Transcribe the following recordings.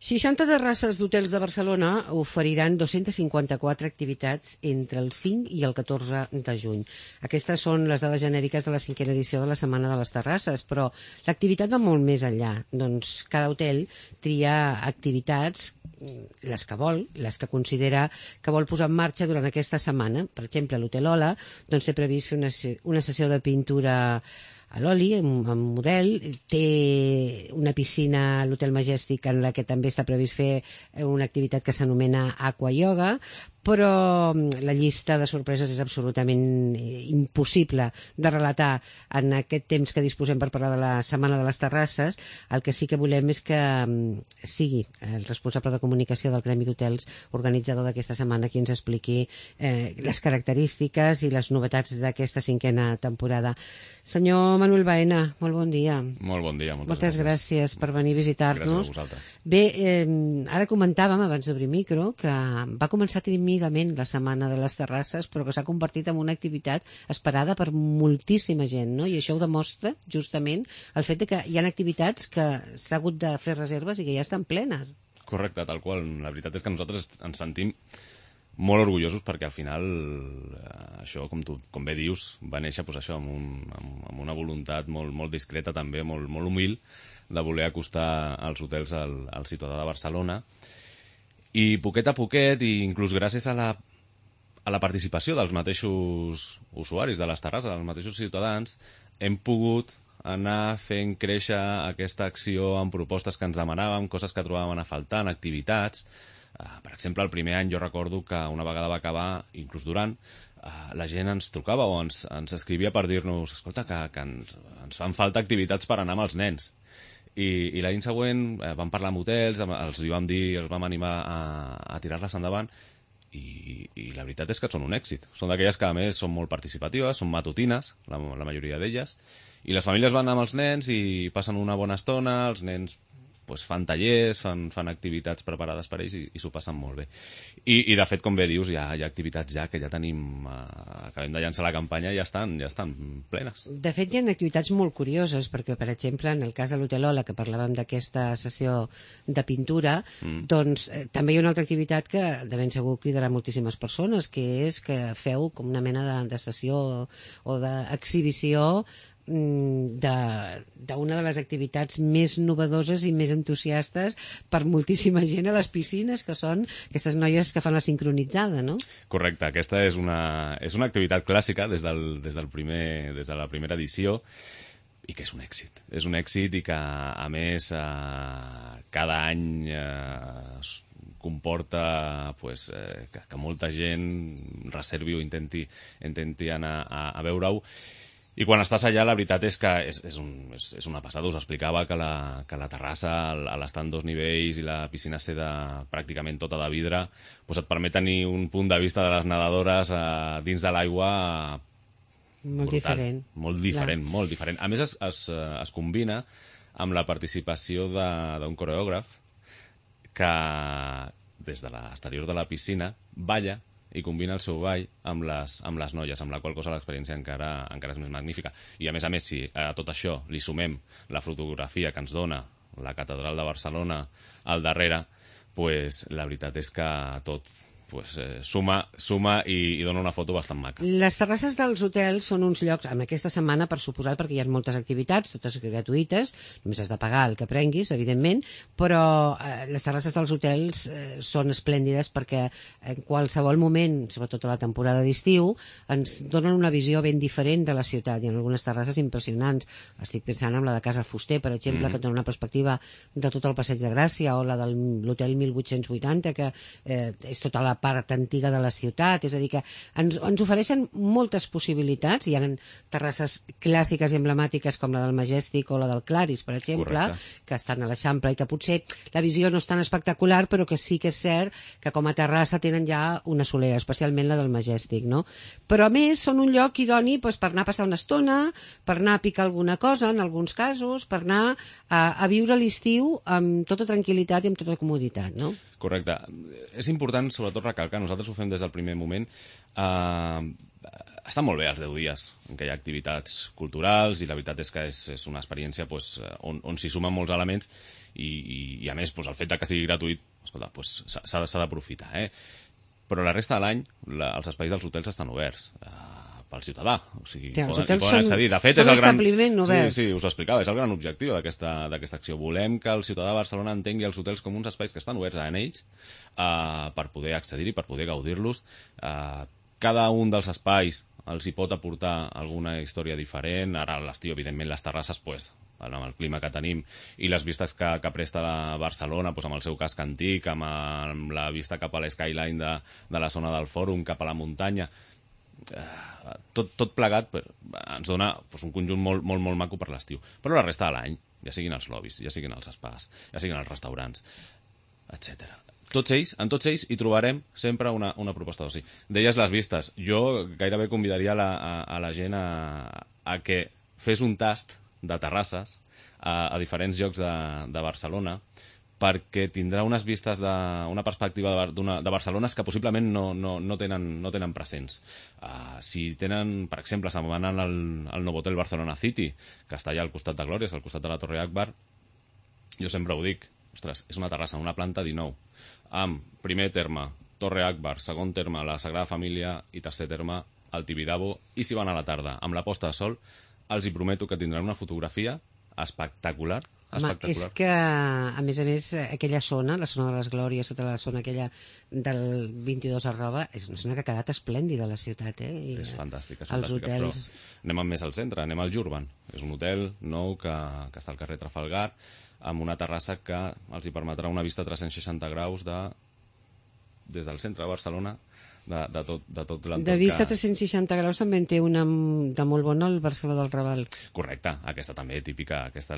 60 terrasses d'hotels de Barcelona oferiran 254 activitats entre el 5 i el 14 de juny. Aquestes són les dades genèriques de la 5a edició de la Setmana de les Terrasses, però l'activitat va molt més enllà. Doncs cada hotel tria activitats, les que vol, les que considera que vol posar en marxa durant aquesta setmana. Per exemple, l'Hotel Ola té previst fer una sessió de pintura a l'oli, amb model, té una piscina a l'Hotel Majestic en la que també està previst fer una activitat que s'anomena Aqua Yoga, però la llista de sorpreses és absolutament impossible de relatar en aquest temps que disposem per parlar de la Setmana de les Terrasses. El que sí que volem és que sigui el responsable de comunicació del Gremi d'Hotels, organitzador d'aquesta setmana, qui ens expliqui les característiques i les novetats d'aquesta 5a temporada. Senyor Manuel Baena, molt bon dia. Molt bon dia, moltes gràcies per venir a visitar-nos. Gràcies a vosaltres. Bé, ara comentàvem abans d'obrir micro que va començar tímidament la Setmana de les Terrasses, però que s'ha convertit en una activitat esperada per moltíssima gent, no? I això ho demostra justament el fet de que hi ha activitats que s'ha hagut de fer reserves i que ja estan plenes. Correcte, tal qual. La veritat és que nosaltres ens sentim molt orgullosos perquè al final això, com bé dius, va néixer doncs, això, amb una voluntat molt discreta també, molt humil, de voler acostar els hotels al ciutadà de Barcelona. I poquet a poquet, i inclús gràcies a la participació dels mateixos usuaris de les terrasses, dels mateixos ciutadans, hem pogut anar fent créixer aquesta acció amb propostes que ens demanàvem, coses que trobàvem a faltar, en activitats. Per exemple, el primer any jo recordo que una vegada va acabar, inclús durant, la gent ens trucava o ens escrivia per dir-nos escolta, que ens fan falta activitats per anar amb els nens. I l'any següent vam parlar amb hotels, els vam dir, els vam animar a tirar-les endavant i la veritat és que són un èxit. Són d'aquelles que a més són molt participatives, són matutines, la majoria d'elles, i les famílies van amb els nens i passen una bona estona, els nens fan tallers, fan activitats preparades per ells i s'ho passen molt bé. I de fet, com bé dius, hi ha activitats que ja tenim, acabem de llançar la campanya i ja estan plenes. De fet, hi ha activitats molt curioses, perquè, per exemple, en el cas de l'Hotel Ola, que parlàvem d'aquesta sessió de pintura, doncs també hi ha una altra activitat que de ben segur cridarà moltíssimes persones, que és que feu com una mena de sessió o d'exhibició d'una de les activitats més novedoses i més entusiastes per moltíssima gent a les piscines, que són aquestes noies que fan la sincronitzada, no? Correcte, aquesta és una activitat clàssica des de la primera edició i que és un èxit. És un èxit i que, a més, cada any comporta que molta gent reservi o intenti anar a veure-ho. I quan estàs allà, la veritat és que és una passada. Us explicava que la terrassa, a l'estar en 2 nivells i la piscina seda pràcticament tota de vidre, doncs et permet tenir un punt de vista de les nedadores dins de l'aigua molt brutal. diferent. Molt diferent. A més, es combina amb la participació d'un coreògraf que, des de l'exterior de la piscina, balla i combina el seu ball amb les noies, amb la qual cosa l'experiència encara és més magnífica. I a més, si a tot això li sumem la fotografia que ens dona la Catedral de Barcelona al darrere, pues, la veritat és que tot suma i dona una foto bastant maca. Les terrasses dels hotels són uns llocs, en aquesta setmana, per suposat, perquè hi ha moltes activitats, totes gratuïtes, només has de pagar el que prenguis, evidentment, però les terrasses dels hotels són esplèndides perquè en qualsevol moment, sobretot a la temporada d'estiu, ens donen una visió ben diferent de la ciutat. Hi ha algunes terrasses impressionants. Estic pensant en la de Casa Fuster, per exemple, que dona una perspectiva de tot el Passeig de Gràcia, o la de l'Hotel 1880, que és tota la part antiga de la ciutat. És a dir, que ens ofereixen moltes possibilitats. Hi ha terrasses clàssiques i emblemàtiques com la del Majestic o la del Claris, per exemple, correcte, que estan a l'Eixample i que potser la visió no és tan espectacular, però que sí que és cert que com a terrassa tenen ja una solera, especialment la del Majestic, no? Però a més són un lloc idoni per anar a passar una estona, per anar a picar alguna cosa en alguns casos, per anar a viure l'estiu amb tota tranquil·litat i amb tota comoditat, no? Correcte. És important, sobretot, recalcar, nosaltres ho fem des del primer moment, estan molt bé els 10 dies en què hi ha activitats culturals i la veritat és que és una experiència pues, on s'hi sumen molts elements i a més pues, el fet de que sigui gratuït escolta, pues, s'ha d'aprofitar. Però la resta de l'any els espais dels hotels estan oberts pel ciutadà. O sigui, els poden hotels accedir. De fet, són és el gran... establiment obert. Sí, us ho explicava, és el gran objectiu d'aquesta acció. Volem que el ciutadà de Barcelona entengui els hotels com uns espais que estan oberts en ells per poder accedir-hi, per poder gaudir-los. Cada un dels espais els hi pot aportar alguna història diferent. Ara a l'estiu, evidentment, les terrasses, pues, amb el clima que tenim i les vistes que presta la Barcelona, pues, amb el seu casc antic, amb la vista cap a l'skyline de la zona del Fòrum, cap a la muntanya, tot plegat ens dona pues, un conjunt molt, molt, molt maco per l'estiu. Però la resta de l'any, ja siguin els lobbies, ja siguin els spas, ja siguin els restaurants, etc. En tots ells hi trobarem sempre una proposta d'oci. Deies les vistes. Jo gairebé convidaria a la gent a que fes un tast de terrasses a diferents llocs de Barcelona perquè tindrà unes vistes una perspectiva de Barcelona que possiblement no tenen presents. Si tenen, per exemple, se'n van al Novotel Barcelona City, que està allà al costat de Glòries, al costat de la Torre Akbar, jo sempre ho dic, ostres, és una terrassa, una planta 19, amb primer terme Torre Akbar, segon terme la Sagrada Família i tercer terme el Tibidabo, i si van a la tarda amb la posta de sol, els hi prometo que tindran una fotografia espectacular. Home, és que, a més, aquella zona, la zona de les Glòries, tota la zona aquella del 22 arroba, és una zona que ha quedat esplèndida a la ciutat, És fantàstica, els hotels... Però anem més al centre, anem al Jurban. És un hotel nou que està al carrer Trafalgar, amb una terrassa que els hi permetrà una vista 360 graus des del centre de Barcelona, de tot l'entorn. De vista 360 graus també en té una de molt bona al Barceló del Raval. Correcte, aquesta també típica, aquesta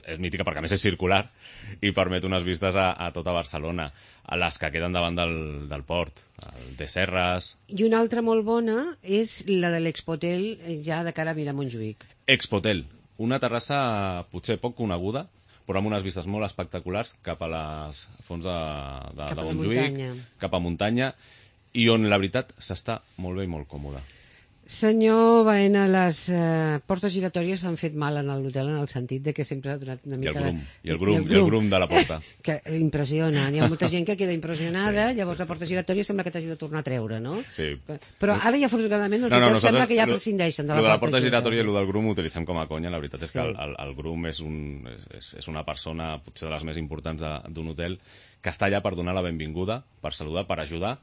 és mítica perquè a més és circular i permet unes vistes a tota Barcelona, a les que queden davant del port, el de Serres... I una altra molt bona és la de l'Expotel, ja de cara a Miramontjuïc. Expotel, una terrassa potser poc coneguda, però amb unes vistes molt espectaculars cap a les fonts de Montjuïc, cap a muntanya, i on la veritat s'està molt bé i molt còmode. Senyor Baena, les portes giratòries s'han fet mal en l'hotel en el sentit de que sempre ha donat una mica... I el grum de la porta. Que impressiona. Hi ha molta gent que queda impressionada, llavors la porta giratòria sembla que t'hagi de tornar a treure, no? Sí. Però ara ja afortunadament els hotels sembla que ja prescindeixen de la porta giratòria i el del grum ho utilitzem com a conya. La veritat és que el grum és una persona potser de les més importants d'un hotel que està allà per donar la benvinguda, per saludar, per ajudar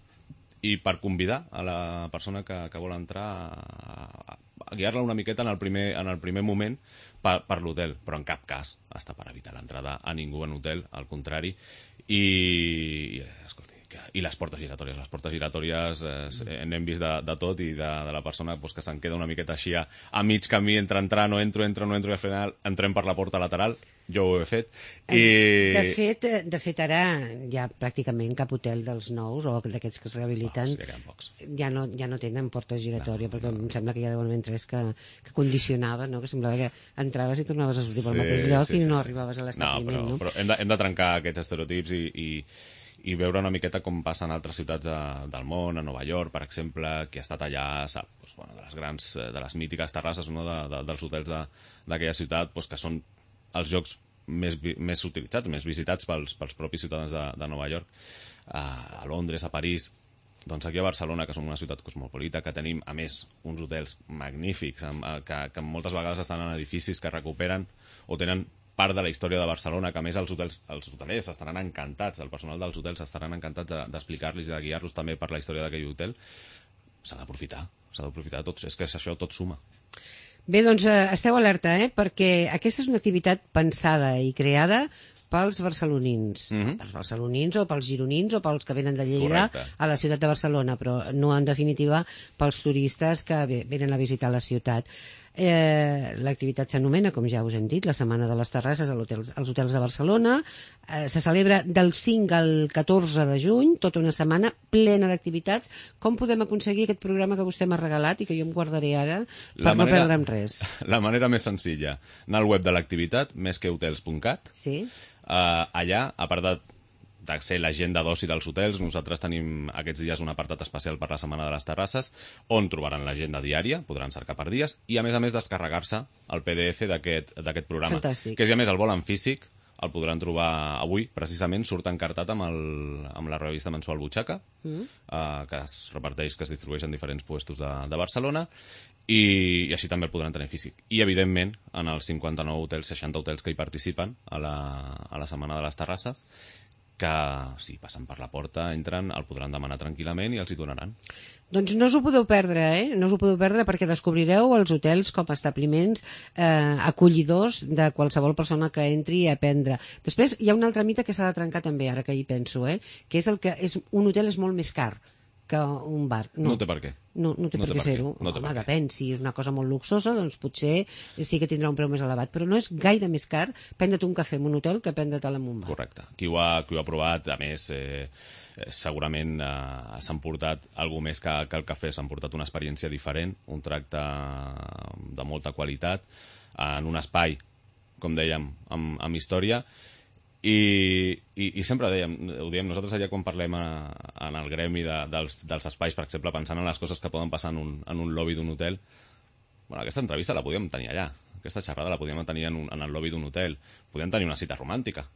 i per convidar a la persona que vol entrar a guiar-la una miqueta en el primer moment per l'hotel, però en cap cas està per evitar l'entrada a ningú en hotel, al contrari. I les portes giratòries. Les portes giratòries n'hem vist de tot i de la persona que se'n queda una miqueta així a mig camí entre entrar, no entro i al final entrem per la porta lateral. Jo ho he fet. De fet, ara ja pràcticament cap hotel dels nous o d'aquests que es rehabiliten ja no tenen porta giratòria, perquè em sembla que hi ha de moment tres que condicionava, no? Que semblava que entraves i tornaves a sortir pel mateix lloc i no arribaves a l'establiment. Però hem de trencar aquests estereotips i veure una miqueta com passa en altres ciutats del món, a Nova York, per exemple, qui ha estat allà sap de les mítiques terrasses dels hotels d'aquella ciutat, que són els jocs més utilitzats, més visitats pels propis ciutadans de Nova York, a Londres, a París. Doncs aquí a Barcelona, que som una ciutat cosmopolita, que tenim, a més, uns hotels magnífics, que moltes vegades estan en edificis que recuperen o tenen part de la història de Barcelona, que a més els hotelers estaran encantats, el personal dels hotels estaran encantats d'explicar-los i de guiar-los també per la història d'aquell hotel. S'ha d'aprofitar tot, és que això tot suma. Bé, doncs esteu alerta, perquè aquesta és una activitat pensada i creada pels barcelonins. Pels barcelonins o pels gironins o pels que venen de Lleida a la ciutat de Barcelona, però no, en definitiva, pels turistes que venen a visitar la ciutat. L'activitat s'anomena, com ja us hem dit, la Setmana de les Terrasses als hotels de Barcelona. Se celebra del 5 al 14 de juny, tota una setmana plena d'activitats. Com podem aconseguir aquest programa que vostè m'ha regalat i que jo em guardaré ara per no perdre'm res? La manera més senzilla, anar al web de l'activitat, mesquehotels.cat. Sí. Allà, apartat ser l'agenda d'oci dels hotels. Nosaltres tenim aquests dies un apartat especial per la Setmana de les Terrasses, on trobaran l'agenda diària, podran cercar per dies, i a més descarregar-se el PDF d'aquest programa. Fantàstic. Que si a més el volen físic, el podran trobar avui, precisament, surt encartat amb la revista mensual Butxaca, que es reparteix, que es distribueix en diferents puestos de Barcelona, i així també el podran tenir físic. I, evidentment, en els 59 hotels, 60 hotels que hi participen a la Setmana de les Terrasses, que si passen per la porta, entren, el podran demanar tranquil·lament i els hi donaran. Doncs no us ho podeu perdre, No us ho podeu perdre perquè descobrireu els hotels com a establiments acollidors de qualsevol persona que entri a aprendre. Després hi ha un altre mite que s'ha de trencar també, ara que hi penso, que és el que un hotel és molt més car que un bar. No té per què. No té per què ser-ho. Home, depèn. Si és una cosa molt luxosa, doncs potser sí que tindrà un preu més elevat. Però no és gaire més car prendre't un cafè en un hotel que prendre-te'l en un bar. Correcte. Qui ho ha provat, a més, segurament s'han portat alguna més que el cafè, s'han portat una experiència diferent, un tracte de molta qualitat, en un espai, com dèiem, amb història. I sempre ho diem nosaltres allà quan parlem en el gremi dels espais, per exemple, pensant en les coses que poden passar en un lobby d'un hotel. Bueno, aquesta entrevista la podíem tenir allà, aquesta xerrada la podíem tenir en el lobby d'un hotel, podíem tenir una cita romàntica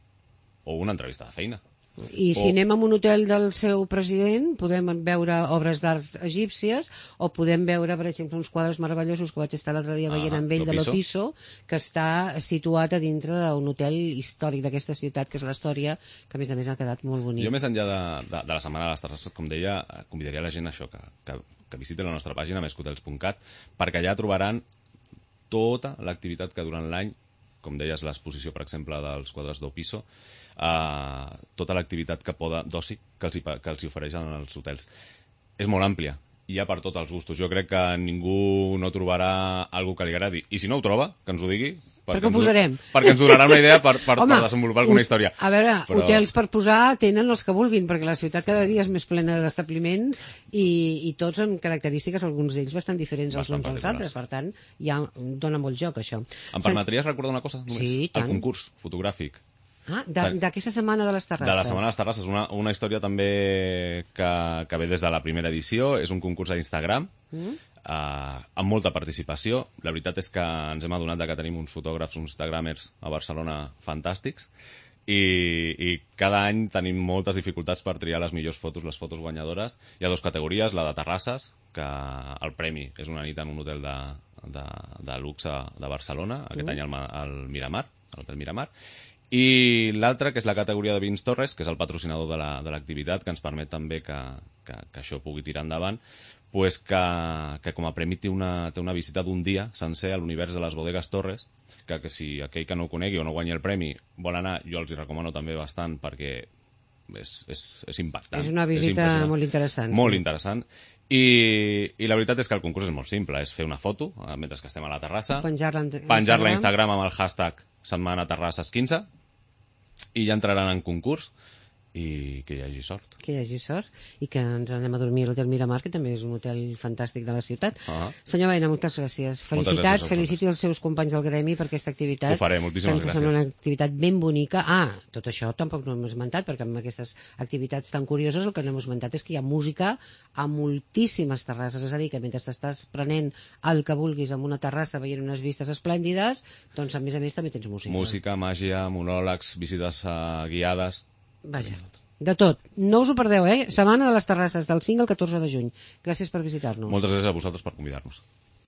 o una entrevista de feina. I si anem a un hotel del seu president, podem veure obres d'art egípcies o podem veure, per exemple, uns quadres meravellosos que vaig estar l'altre dia veient amb ell de l'Opiso, que està situat a dintre d'un hotel històric d'aquesta ciutat, que és l'Història, que a més ha quedat molt bonic. Jo, més enllà de la Setmana de les Terrasses, com deia, convidaria la gent a això, que visiti la nostra pàgina, mescohotels.cat, perquè allà trobaran tota l'activitat que durant l'any, com deies, l'exposició, per exemple, dels quadres d'Opiso, tota l'activitat d'oci que els ofereixen els hotels. És molt àmplia, hi ha per tots els gustos. Jo crec que ningú no trobarà alguna que li agradi. I si no ho troba, que ens ho digui, perquè ho posarem. Perquè ens donarà una idea per desenvolupar alguna història. A veure, hotels per posar tenen els que vulguin, perquè la ciutat cada dia és més plena d'establiments i tots amb característiques, alguns d'ells bastant diferents els uns als altres. Per tant, ja dona molt joc, això. Em permetries recordar una cosa? Sí, tant. El concurs fotogràfic. D'aquesta Setmana de les Terrasses. De la Setmana de les Terrasses, una història també que ve des de la primera edició. És un concurs a Instagram, amb molta participació. La veritat és que ens hem adonat que tenim uns fotògrafs, uns instagramers a Barcelona fantàstics, i cada any tenim moltes dificultats per triar les millors fotos, les fotos guanyadores. Hi ha dues categories, la de Terrasses, que el premi és una nit en un hotel de luxe de Barcelona, aquest any al Miramar, a l'Hotel Miramar, i l'altra, que és la categoria de Vins Torres, que és el patrocinador de l'activitat, que ens permet també que això pugui tirar endavant, pues que com a premi té una visita d'un dia sencer a l'univers de les bodegues Torres, que si aquell que no ho conegui o no guanyi el premi vol anar, jo els hi recomano també bastant, perquè és impactant. És una visita molt interessant. Molt interessant. I la veritat és que el concurs és molt simple, és fer una foto mentre que estem a la terrassa, penjar-la a Instagram amb el hashtag Setmana Terrasses 15, i ja entraran en concurs, i que hi hagi sort. Que hi hagi sort, i que ens anem a dormir a l'Hotel Miramar, que també és un hotel fantàstic de la ciutat. Senyor Baena, moltes gràcies. Felicitats, feliciti els seus companys del gremi per aquesta activitat. Ho faré, moltíssimes gràcies. Ens sembla una activitat ben bonica. Tot això tampoc no hem esmentat, perquè amb aquestes activitats tan curioses el que no hem esmentat és que hi ha música a moltíssimes terrasses, és a dir, que mentre t'estàs prenent el que vulguis amb una terrassa veient unes vistes esplèndides, doncs a més també tens música. Música, màgia, monòlegs, visites guiades. Vaja, de tot. No us ho perdeu, Setmana de les Terrasses, del 5 al 14 de juny. Gràcies per visitar-nos. Moltes gràcies a vosaltres per convidar-nos.